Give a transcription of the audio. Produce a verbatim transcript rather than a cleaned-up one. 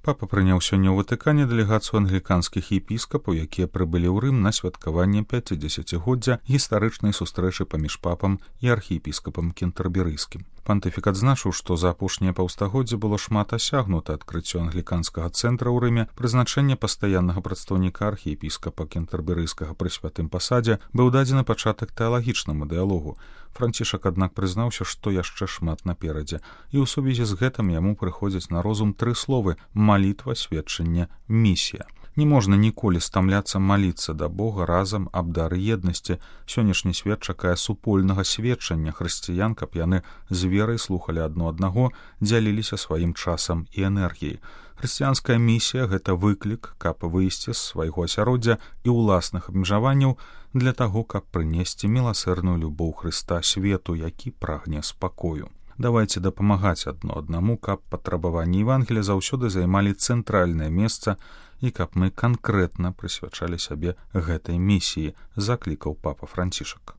Папа прыняў сёння ў Ватыкане дэлегацыю англіканскіх епіскапаў, якія прыбылі ў Рым на святкаванне пяцідзесяцігоддзя гістарычнай сустрэчы паміж папам і архіепіскапам кентэрберыйскім. Пантыфік адзначыў, што за апошнія паўстагоддзя было шмат асягнута адкрыццё англіканскага цэнтра ў Рыме, прызначэнне пастаяннага прадстаўніка архіепіскапа кентэрберыйскага пры святым пасадзе быў дадзены пачатак тэалагічнаму дыялогу. Францішак, аднак, прызнаўся, што яшчэ шмат наперадзе, і ў сувязі з гэтым яму прыходзяць на розум тры словы: малітва, сведчанне, місія. Не можна ніколі стамляцца маліцца да Бога разам аб дары еднасці. Сённяшні свет чакае супольнага сведчання хрысціян, каб яны з верай слухалі адно аднаго, дзяліліся сваім часам і энергіяй. Хрысціянская місія — гэта выклік, каб выйсці з свайго асяроддзя і ўласных абмежаванняў для таго, каб прынесці міласэрную любоў Хрыста свету, які прагне спакою. Давайце дапамагаць адно аднаму, каб патрабаванні Евангелія заўсёды займалі цэнтральнае месца і каб мы канкрэтна прысвячалі сябе гэтай місіі, заклікаў папа Францішак.